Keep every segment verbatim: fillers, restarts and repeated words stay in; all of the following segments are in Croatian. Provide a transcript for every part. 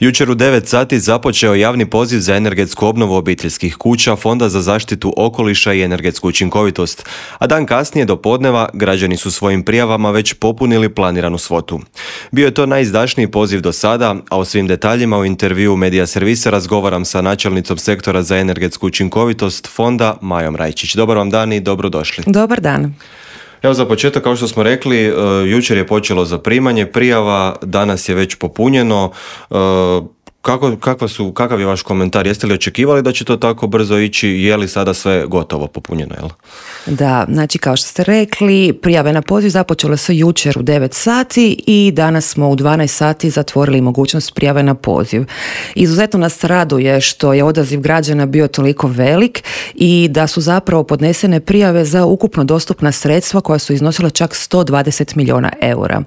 Jučer u devet sati započeo javni poziv za energetsku obnovu obiteljskih kuća Fonda za zaštitu okoliša i energetsku učinkovitost, a dan kasnije do podneva građani su svojim prijavama već popunili planiranu svotu. Bio je to najizdašniji poziv do sada, a o svim detaljima u intervjuu Medija Servisa razgovaram sa načelnicom sektora za energetsku učinkovitost Fonda Majom Rajčić. Dobar vam dan i dobrodošli. Dobar dan. Evo za početak, kao što smo rekli, jučer je počelo zaprimanje prijava, danas je već popunjeno. Kako, kakva su, kakav je vaš komentar? Jeste li očekivali da će to tako brzo ići? Je li sada sve gotovo popunjeno? Jel? Da, znači kao što ste rekli, prijave na poziv započele su jučer u devet sati i danas smo u dvanaest sati zatvorili mogućnost prijave na poziv. Izuzetno nas raduje što je odaziv građana bio toliko velik i da su zapravo podnesene prijave za ukupno dostupna sredstva koja su iznosila čak sto dvadeset milijuna eura.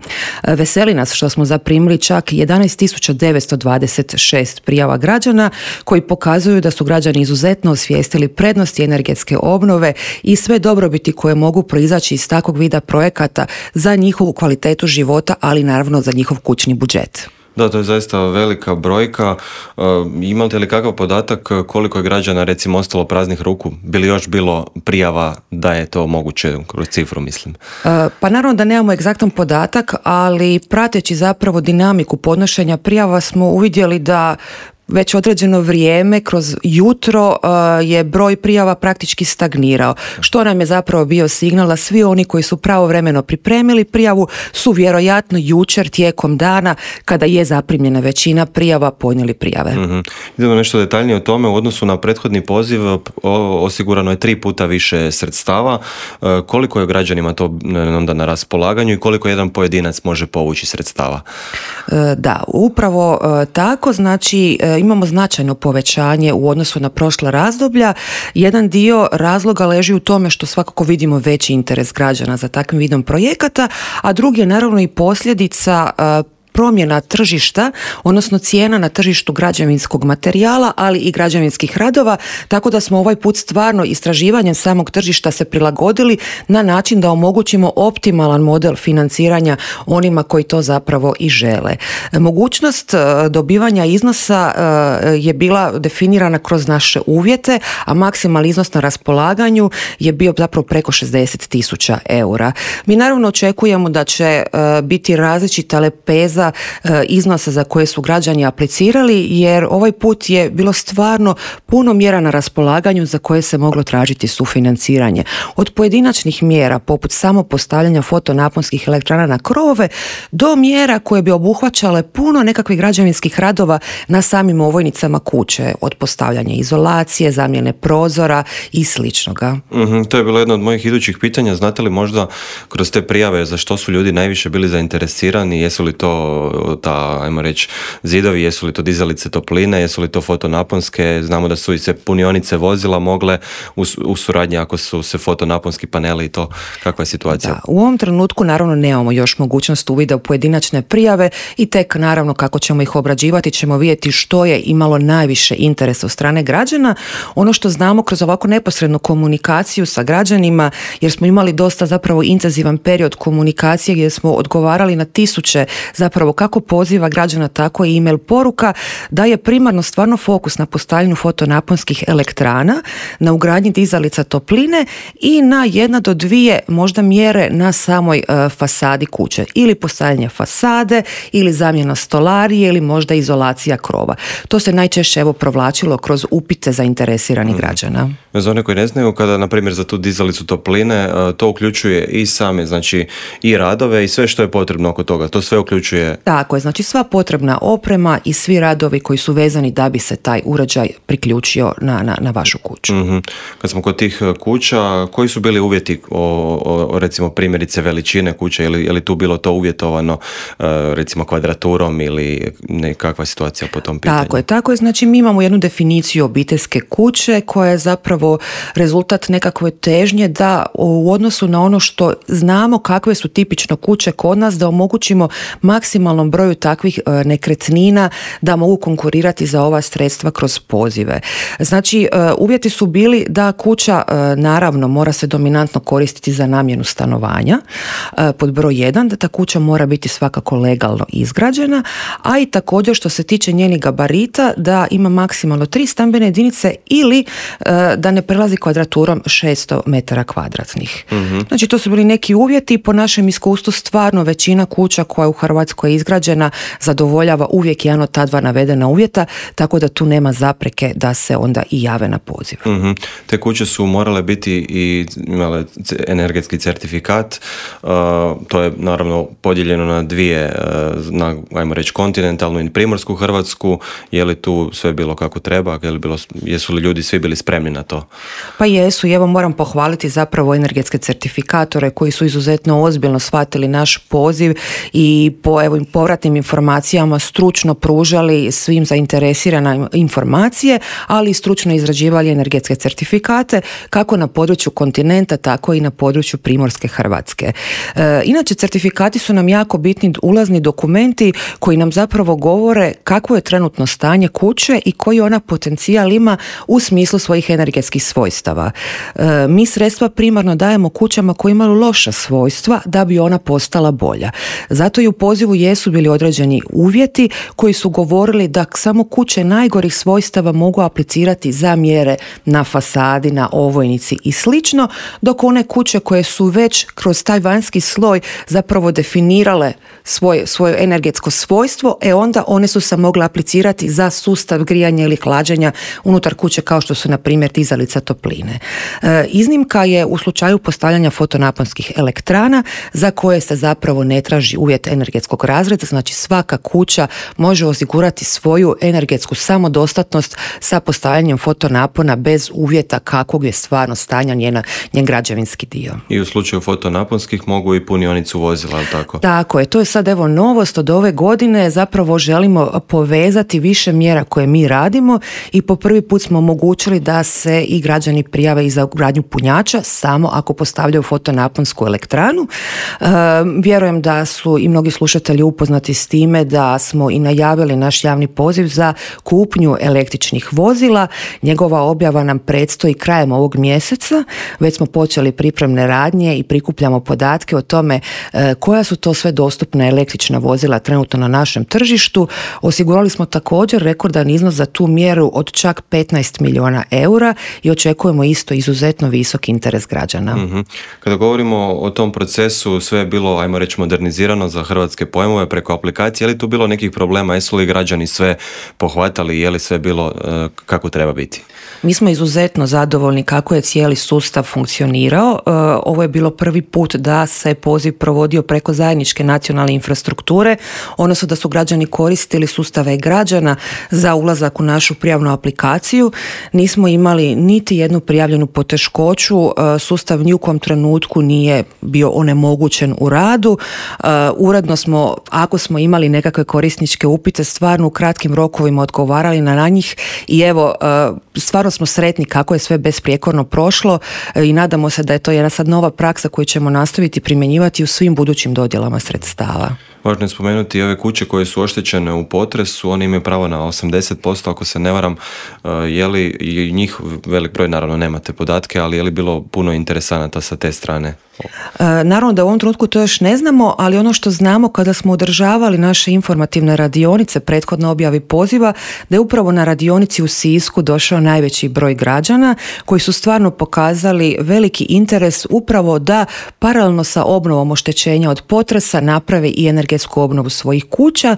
Veseli nas što smo zaprimili čak jedanaest tisuća devetsto dvadeset šest prijava građana koji pokazuju da su građani izuzetno osvijestili prednosti energetske obnove i sve dobrobiti koje mogu proizaći iz takvog vida projekata za njihovu kvalitetu života, ali naravno za njihov kućni budžet. Da, to je zaista velika brojka. E, imate li kakav podatak koliko je građana recimo ostalo praznih ruku? Bi li još bilo prijava da je to moguće kroz cifru, mislim? E, pa naravno da nemamo egzaktan podatak, ali prateći zapravo dinamiku podnošenja prijava smo uvidjeli da već određeno vrijeme kroz jutro uh, je broj prijava praktički stagnirao, što nam je zapravo bio signal da svi oni koji su pravovremeno pripremili prijavu su vjerojatno jučer tijekom dana, kada je zaprimljena većina prijava, podnijeli prijave. Mm-hmm. Idemo nešto detaljnije o tome. U odnosu na prethodni poziv osigurano je tri puta više sredstava. Uh, koliko je građanima to onda na raspolaganju i koliko jedan pojedinac može povući sredstava? Uh, da, upravo uh, tako, znači uh, imamo značajno povećanje u odnosu na prošla razdoblja. Jedan dio razloga leži u tome što svakako vidimo veći interes građana za takvim vidom projekata, a drugi je naravno i posljedica uh, promjena tržišta, odnosno cijena na tržištu građevinskog materijala, ali i građevinskih radova, tako da smo ovaj put stvarno istraživanjem samog tržišta se prilagodili na način da omogućimo optimalan model financiranja onima koji to zapravo i žele. Mogućnost dobivanja iznosa je bila definirana kroz naše uvjete, a maksimalni iznos na raspolaganju je bio zapravo preko šezdeset tisuća eura. Mi naravno očekujemo da će biti različita lepeza iznosa za koje su građani aplicirali, jer ovaj put je bilo stvarno puno mjera na raspolaganju za koje se moglo tražiti sufinanciranje. Od pojedinačnih mjera poput samo postavljanja fotonaponskih elektrana na krovove do mjera koje bi obuhvaćale puno nekakvih građevinskih radova na samim ovojnicama kuće, od postavljanja izolacije, zamjene prozora i sličnoga. Mm-hmm, to je bilo jedno od mojih idućih pitanja. Znate li možda kroz te prijave za što su ljudi najviše bili zainteresirani? Jesu li to ta, ajmo reći, zidovi, jesu li to dizalice topline, jesu li to fotonaponske? Znamo da su i se punionice vozila mogle u, u suradnji ako su se fotonaponski paneli i to. Kakva je situacija? Da, u ovom trenutku naravno nemamo još mogućnost uvida u pojedinačne prijave i tek naravno kako ćemo ih obrađivati ćemo vidjeti što je imalo najviše interesa od strane građana. Ono što znamo kroz ovako neposrednu komunikaciju sa građanima, jer smo imali dosta zapravo intenzivan period komunikacije gdje smo odgovarali na tisuće zapravo kako poziva građana, tako i e-mail poruka, da je primarno stvarno fokus na postavljanju fotonaponskih elektrana, na ugradnji dizalica topline i na jedna do dvije možda mjere na samoj uh, fasadi kuće. Ili postavljanje fasade, ili zamjena stolarije, ili možda izolacija krova. To se najčešće evo provlačilo kroz upite zainteresiranih građana. Za one koji ne znaju, kada na primjer za tu dizalicu topline, to uključuje i same, znači i radove i sve što je potrebno oko toga. To sve uključuje. Tako je, znači sva potrebna oprema i svi radovi koji su vezani da bi se taj uređaj priključio na, na, na vašu kuću. Mm-hmm. Kad smo kod tih kuća, koji su bili uvjeti o, o recimo primjerice veličine kuće, ili je li tu bilo to uvjetovano recimo kvadraturom ili nekakva situacija po tom pitanju? Tako je, tako je, znači mi imamo jednu definiciju obiteljske kuće koja je zapravo rezultat nekakve težnje da u odnosu na ono što znamo kakve su tipično kuće kod nas, da omogućimo maksimalno maksimalnom broju takvih nekretnina da mogu konkurirati za ova sredstva kroz pozive. Znači, uvjeti su bili da kuća naravno mora se dominantno koristiti za namjenu stanovanja, pod broj jedan, da ta kuća mora biti svakako legalno izgrađena, a i također što se tiče njenih gabarita da ima maksimalno tri stambene jedinice ili da ne prelazi kvadraturom šesto metara kvadratnih. Mm-hmm. Znači, to su bili neki uvjeti. Po našem iskustvu stvarno većina kuća koja u Hrvatskoj je izgrađena zadovoljava uvijek jedan od ta dva navedena uvjeta, tako da tu nema zapreke da se onda i jave na poziv. Mm-hmm. Te kuće su morale biti i imale energetski certifikat, uh, to je naravno podijeljeno na dvije, uh, na, ajmo reći, kontinentalnu i primorsku Hrvatsku. Je li tu sve bilo kako treba? Je li bilo, jesu li ljudi svi bili spremni na to? Pa jesu, i evo moram pohvaliti zapravo energetske certifikatore koji su izuzetno ozbiljno shvatili naš poziv i po evo, povratnim informacijama stručno pružali svim zainteresirana informacije, ali i stručno izrađivali energetske certifikate kako na području kontinenta, tako i na području primorske Hrvatske. E, inače, certifikati su nam jako bitni ulazni dokumenti koji nam zapravo govore kakvo je trenutno stanje kuće i koji ona potencijal ima u smislu svojih energetskih svojstava. E, mi sredstva primarno dajemo kućama koje imaju loša svojstva da bi ona postala bolja. Zato i u pozivu jesu bili određeni uvjeti koji su govorili da samo kuće najgorih svojstava mogu aplicirati za mjere na fasadi, na ovojnici i slično, dok one kuće koje su već kroz taj vanjski sloj zapravo definirale svoje, svoje energetsko svojstvo, e onda one su se mogle aplicirati za sustav grijanja ili hlađenja unutar kuće kao što su na primjer dizalica topline. E, iznimka je u slučaju postavljanja fotonaponskih elektrana za koje se zapravo ne traži uvjet energetskog razreda, znači svaka kuća može osigurati svoju energetsku samodostatnost sa postavljanjem fotonapona bez uvjeta kakvog je stvarno stanja njena, njen građevinski dio. I u slučaju fotonaponskih mogu i punionicu vozila, ali tako? Tako je, to je sad evo novost od ove godine, zapravo želimo povezati više mjera koje mi radimo i po prvi put smo omogućili da se i građani prijave i za ugradnju punjača samo ako postavljaju fotonaponsku elektranu. E, vjerujem da su i mnogi slušatelji upoznati s time da smo i najavili naš javni poziv za kupnju električnih vozila. Njegova objava nam predstoji krajem ovog mjeseca. Već smo počeli pripremne radnje i prikupljamo podatke o tome e, koja su to sve dostupna električna vozila trenutno na našem tržištu. Osigurali smo također rekordan iznos za tu mjeru od čak petnaest milijuna eura i očekujemo isto izuzetno visok interes građana. Mm-hmm. Kada govorimo o tom procesu, sve je bilo, ajmo reći, modernizirano za hrvatske pojmove preko aplikacije. Je li tu bilo nekih problema? Jesu li građani sve pohvatali? Je li sve bilo uh, kako treba biti? Mi smo izuzetno zadovoljni kako je cijeli sustav funkcionirao. Uh, ovo je bilo prvi put da se poziv provodio preko zajedničke nacionalne infrastrukture, odnosno da su građani koristili sustave građana za ulazak u našu prijavnu aplikaciju. Nismo imali niti jednu prijavljenu poteškoću, uh, sustav ni u kom trenutku nije bio onemogućen u radu. Uh, uredno smo, ako smo imali nekakve korisničke upite, stvarno u kratkim rokovima odgovarali na njih i evo, uh, stvarno smo sretni kako je sve besprijekorno prošlo i nadamo se da je to jedna sad nova praksa koju ćemo nastaviti primjenjivati u svim budućim dodjelama sredstava. Važno je spomenuti i ove kuće koje su oštećene u potresu, one imaju pravo na osamdeset posto, ako se ne varam. Je li i njih, velik broj, naravno nemate podatke, ali je li bilo puno interesanata sa te strane? E, naravno da u ovom trenutku to još ne znamo, ali ono što znamo kada smo održavali naše informativne radionice prethodno objavi poziva, da je upravo na radionici u Sisku došao najveći broj građana koji su stvarno pokazali veliki interes upravo da paralelno sa obnovom oštećenja od potresa naprave i energetsku obnovu svojih kuća.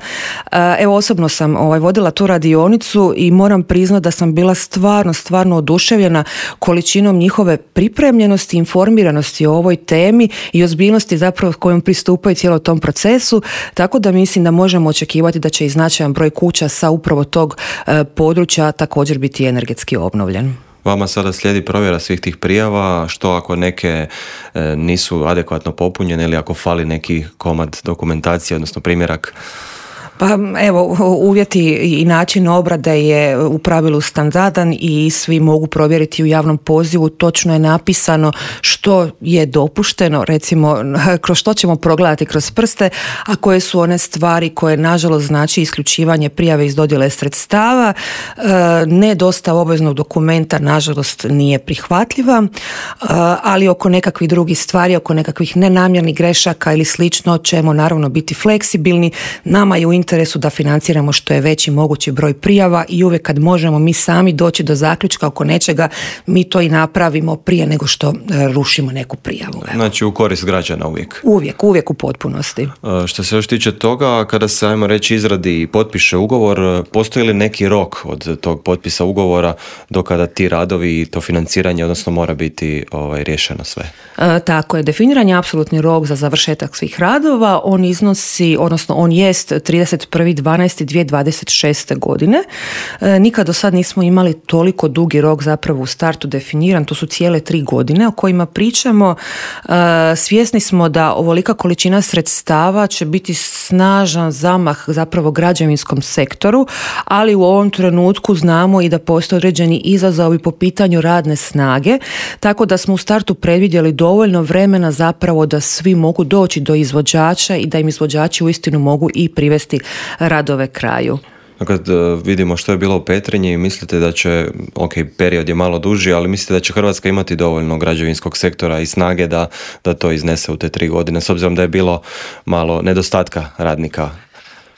E, evo osobno sam ovaj, vodila tu radionicu i moram priznati da sam bila stvarno, stvarno oduševljena količinom njihove pripremljenosti, informiranosti o ovoj temi i ozbiljnosti zapravo kojom pristupaju cijelom tom procesu, tako da mislim da možemo očekivati da će i značajan broj kuća sa upravo tog e, područja također biti energetski obnovljen. Vama sada slijedi provjera svih tih prijava, što ako neke e, nisu adekvatno popunjene ili ako fali neki komad dokumentacije, odnosno primjerak? Pa evo, uvjeti i način obrade je u pravilu standardan i svi mogu provjeriti u javnom pozivu. Točno je napisano što je dopušteno, recimo kroz što ćemo progledati kroz prste, a koje su one stvari koje nažalost znači isključivanje prijave iz dodjele sredstava. Ne dostava obveznog dokumenta nažalost nije prihvatljiva, ali oko nekakvih drugih stvari, oko nekakvih nenamjernih grešaka ili slično ćemo naravno biti fleksibilni. Nama je u interesu da financiramo što je veći mogući broj prijava i uvijek kad možemo mi sami doći do zaključka oko nečega, mi to i napravimo prije nego što rušimo neku prijavu. Znači u korist građana uvijek? Uvijek, uvijek u potpunosti. Što se još tiče toga, kada se, ajmo reći, izradi i potpiše ugovor, postoji li neki rok od tog potpisa ugovora do kada ti radovi i to financiranje, odnosno mora biti ovaj, riješeno sve? E, tako je, definiran je apsolutni rok za završetak svih radova. On iznosi, odnosno on jest trideset prvi dvanaesti dvije tisuće dvadeset šeste. godine. E, nikad do sad nismo imali toliko dugi rok zapravo u startu definiran, to su cijele tri godine o kojima pričamo. E, svjesni smo da ovolika količina sredstava će biti snažan zamah zapravo građevinskom sektoru, ali u ovom trenutku znamo i da postoje određeni izazovi po pitanju radne snage, tako da smo u startu predvidjeli dovoljno vremena zapravo da svi mogu doći do izvođača i da im izvođači uistinu mogu i privesti radove kraju. Kad vidimo što je bilo u Petrinji, mislite da će, ok, period je malo duži, ali mislite da će Hrvatska imati dovoljno građevinskog sektora i snage da, da to iznese u te tri godine, s obzirom da je bilo malo nedostatka radnika?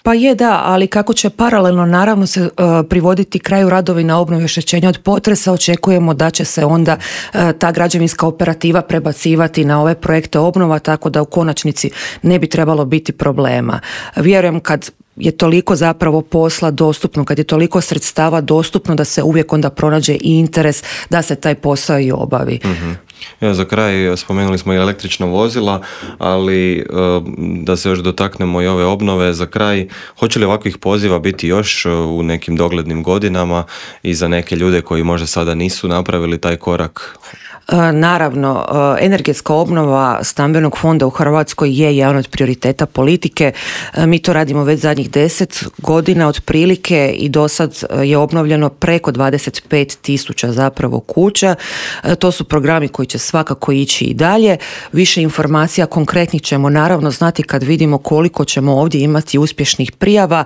Pa je, da, ali kako će paralelno naravno se uh, privoditi kraju radovi na obnovi i oštećenja od potresa, očekujemo da će se onda uh, ta građevinska operativa prebacivati na ove projekte obnova, tako da u konačnici ne bi trebalo biti problema. Vjerujem kad je toliko zapravo posla dostupno, kad je toliko sredstava dostupno, da se uvijek onda pronađe i interes da se taj posao i obavi. Mm-hmm. Ja, za kraj spomenuli smo i električna vozila, ali da se još dotaknemo i ove obnove za kraj, hoće li ovakvih poziva biti još u nekim doglednim godinama i za neke ljude koji možda sada nisu napravili taj korak? Naravno, energetska obnova stambenog fonda u Hrvatskoj je jedan od prioriteta politike. Mi to radimo već zadnjih deset godina otprilike i do sad je obnovljeno preko dvadeset pet tisuća zapravo kuća. To su programi koji će svakako ići i dalje. Više informacija konkretnih ćemo naravno znati kad vidimo koliko ćemo ovdje imati uspješnih prijava.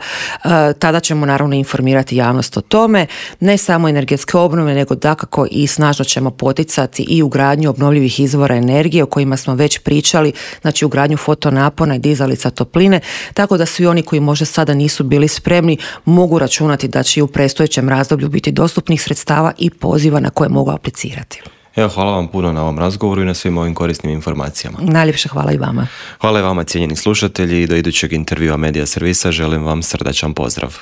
Tada ćemo naravno informirati javnost o tome. Ne samo energetske obnove, nego dakako i snažno ćemo poticati i ugradnju obnovljivih izvora energije o kojima smo već pričali, znači ugradnju fotonapona i dizalica topline, tako da svi oni koji možda sada nisu bili spremni mogu računati da će i u predstojećem razdoblju biti dostupnih sredstava i poziva na koje mogu aplicirati. Evo, hvala vam puno na ovom razgovoru i na svim ovim korisnim informacijama. Najljepše hvala i vama. Hvala i vama, cijenjeni slušatelji, i do idućeg intervjua Medija Servisa želim vam srdačan pozdrav.